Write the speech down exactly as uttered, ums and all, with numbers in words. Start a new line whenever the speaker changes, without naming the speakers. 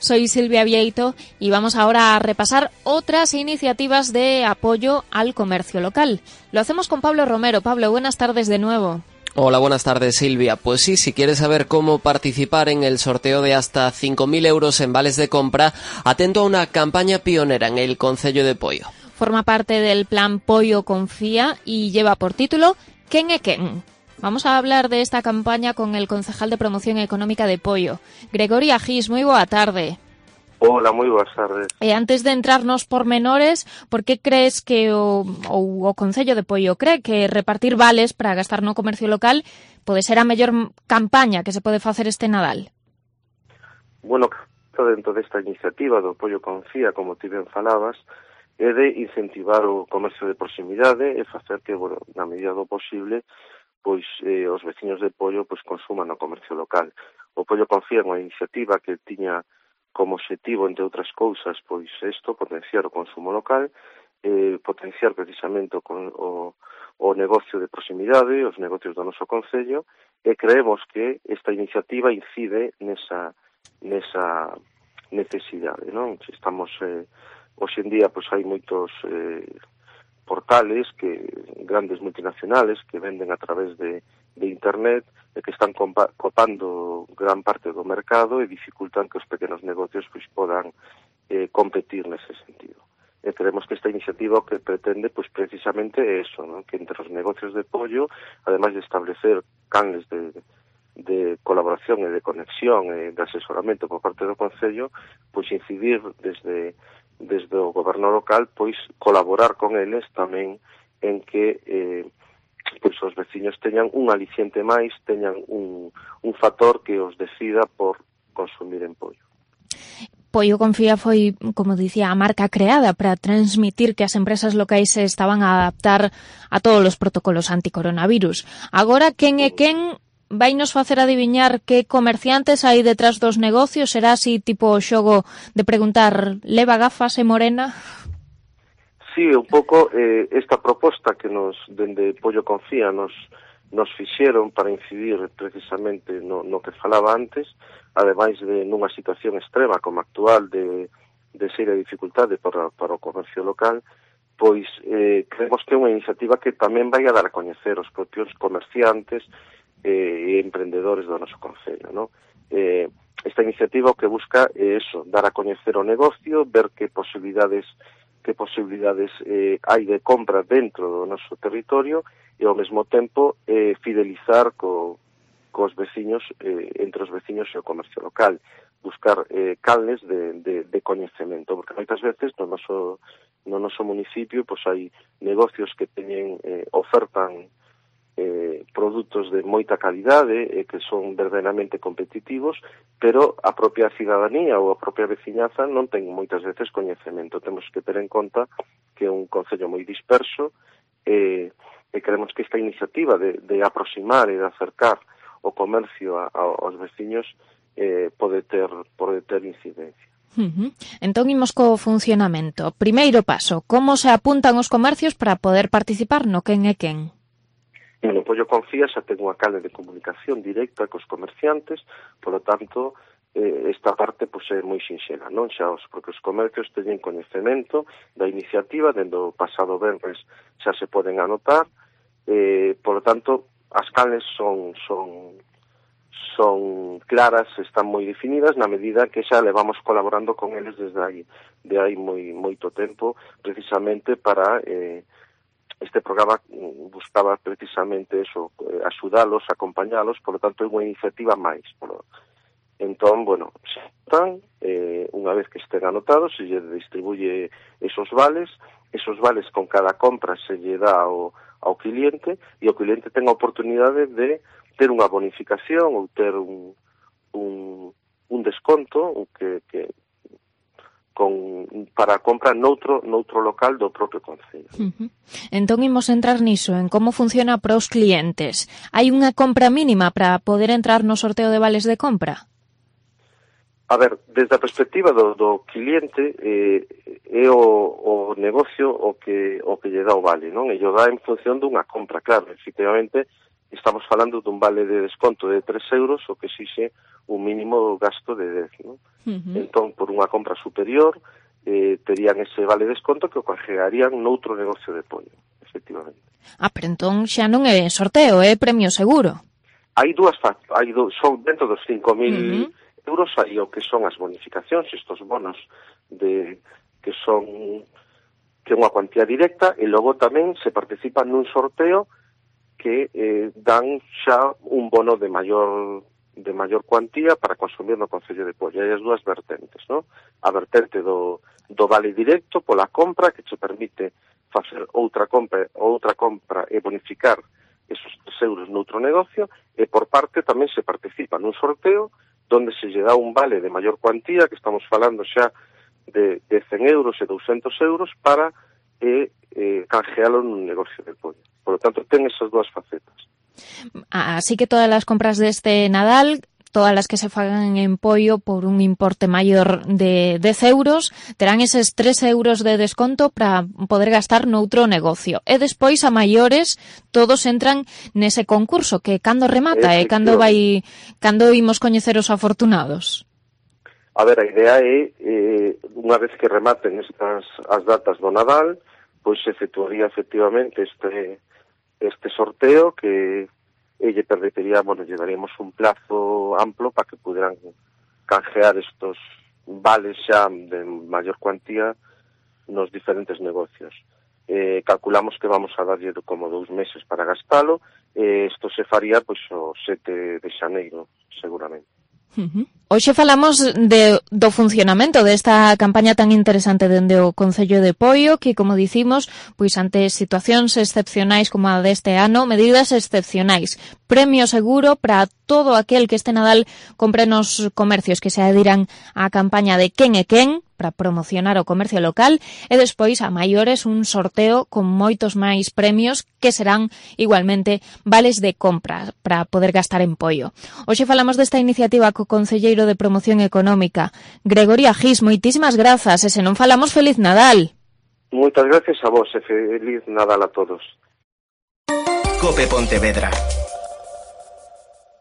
Soy Silvia Vieito y vamos ahora a repasar otras iniciativas de apoyo al comercio local. Lo hacemos con Pablo Romero. Pablo, buenas tardes de nuevo.
Hola, buenas tardes, Silvia. Pues sí, si quieres saber cómo participar en el sorteo de hasta cinco mil euros en vales de compra, atento a una campaña pionera en el Concello de Poio.
Forma parte del plan Poio Confía y lleva por título ¿Quen é quen? Vamos a hablar de esta campaña con el concejal de Promoción Económica de Poio, Gregorio Agís. Moi boa tarde.
Hola, moi boas tardes.
E antes de entrarnos por menores, por que crees que o, o, o Concello de Poio cree que repartir vales para gastar no comercio local pode ser a mellor campaña que se pode facer este Nadal?
Bueno, dentro desta iniciativa do Poio Confía, como ti ben falabas, é de incentivar o comercio de proximidade e facer que, bueno, na medida do posible, pois eh, os veciños de Poio pois consuman o comercio local. O Poio Confía é unha iniciativa que tiña como objetivo, entre outras cousas, pois isto, potenciar o consumo local, eh, potenciar precisamente o, o, o negocio de proximidade, os negocios do noso concello, e creemos que esta iniciativa incide nesa, nesa necesidade, non? Estamos, eh, hoxe en día, pois hai moitos eh, portales, que grandes multinacionales, que venden a través de, de internet, e que están copando gran parte do mercado e dificultan que os pequenos negocios pois podan eh, competir nese sentido. E creemos que esta iniciativa que pretende pois precisamente é eso, ¿no? Que entre os negocios de Poio, ademais de establecer canles de, de colaboración e de conexión e de asesoramento por parte do Concello, pois incidir desde, desde o goberno local, pois colaborar con eles tamén en que eh, pois os veciños teñan un aliciente máis, teñan un, un factor que os decida por consumir en Poio.
Poio Confía foi, como dicía, a marca creada para transmitir que as empresas locais se estaban a adaptar a todos os protocolos anticoronavirus. Agora, quen é quen vai nos facer adiviñar que comerciantes hai detrás dos negocios? Será así tipo o xogo de preguntar leva gafas e morena?
Sí, un pouco eh, esta proposta que nos, dende Poio Confía, nos, nos fixeron para incidir precisamente no, no que falaba antes, ademais de nunha situación extrema como actual de, de seria dificultade para, para o comercio local, pois eh, creemos que é unha iniciativa que tamén vai a dar a coñecer os propios comerciantes e eh, emprendedores do noso concello, ¿no? Eh, esta iniciativa o que busca é eso, dar a coñecer o negocio, ver que posibilidades que posibilidades eh, hai de compra dentro do noso territorio e ao mesmo tempo eh, fidelizar co, cos veciños, eh, entre os veciños e o comercio local, buscar eh, canles de, de, de coñecemento, porque moitas veces no noso, no noso municipio pois hai negocios que teñen, eh, ofertan eh, produtos de moita calidade e eh, que son verdadeiramente competitivos, pero a propia cidadanía ou a propia veciñaza non ten moitas veces coñecemento. Temos que ter en conta que é un concello moi disperso e, e creemos que esta iniciativa de, de aproximar e de acercar o comercio a, a, aos veciños eh, pode ter, pode ter incidencia.
Uh-huh. Entón, imos co funcionamento. Primeiro paso, como se apuntan os comercios para poder participar no quen é quen?
No Poio Confía xa ten unha canle de comunicación directa cos comerciantes, polo tanto, eh, esta parte pois, é moi sinxela, non? Xa os propios comercios teñen coñecemento da iniciativa, dende o pasado venres xa se poden anotar, eh, polo tanto, as canles son, son, son claras, están moi definidas, na medida que xa levamos colaborando con eles desde aí, de aí moi, moito tempo, precisamente para... Eh, Este programa buscaba precisamente eso, axudalos, acompañalos, por lo tanto é unha iniciativa máis. Entón, bueno, se están, eh, unha vez que estén anotados, se lle distribuye esos vales, esos vales con cada compra se lle dá ao, ao cliente, e o cliente ten a oportunidade de ter unha bonificación ou ter un, un, un desconto que... que con para a compra noutro, noutro local do propio concello.
Uh-huh. Entón, imos entrar niso, en como funciona para os clientes. Hai unha compra mínima para poder entrar no sorteo de vales de compra?
A ver, desde a perspectiva do, do cliente, eh, é o, o negocio o que o que lle dá o vale, non? E lle dá en función dunha compra, claro, efectivamente, estamos falando dun vale de desconto de tres euros, o que exixe un mínimo gasto de dez, non? Uh-huh. Entón, por unha compra superior, eh, terían ese vale de desconto que o canjearían noutro negocio de pollo, efectivamente.
Ah, pero entón xa non é sorteo, é premio seguro.
Hai dúas, hai do, son dentro dos cinco mil uh-huh. euros, hai o que son as bonificacións, estos bonos de que son que é unha cuantía directa, e logo tamén se participa nun sorteo que eh, dan xa un bono de maior de maior cuantía para consumir no Concello de Poio. Hai as dúas vertentes, non? A vertente do, do vale directo pola compra, que te permite facer outra compra, outra compra e bonificar esos tres euros noutro negocio, e por parte tamén se participa nun sorteo donde se lle dá un vale de maior cuantía, que estamos falando xa de, de cen euros e douscentos euros, para eh, eh, canjealo nun negocio de pollo. Por lo tanto, ten esas dúas facetas.
Así que todas las compras de este Nadal, todas las que se fagan en pollo por un importe maior de dez euros, terán eses tres euros de desconto para poder gastar noutro negocio. E despois, a maiores, todos entran nese concurso, que cando remata e cando vai cando imos coñecer os afortunados.
A ver, a idea é, eh, unha vez que rematen estas as datas do Nadal, pois se efectuaría efectivamente este este sorteo, que lle permitiría, bueno, lle daríamos un plazo amplo para que pudieran canjear estos vales xa de maior cuantía nos diferentes negocios. Eh, calculamos que vamos a darlle como dous meses para gastalo, e eh, isto se faría pois o sete de xaneiro, seguramente.
Uh-huh. Hoxe falamos de, do funcionamento desta campaña tan interesante dende o Concello de Poio, que, como dicimos, pois ante situacións excepcionais como a deste ano, medidas excepcionais. Premio seguro para todo aquel que este Nadal compre nos comercios que se adhiran á campaña de Quen é Quen, para promocionar o comercio local, e despois a maiores un sorteo con moitos máis premios que serán igualmente vales de compra para poder gastar en pollo. Hoxe falamos desta iniciativa co Concelleiro de Promoción Económica, Gregorio Agís. Moitísimas grazas, e se non falamos, feliz Nadal.
Moitas gracias a vos e feliz Nadal a todos.
Cope Pontevedra.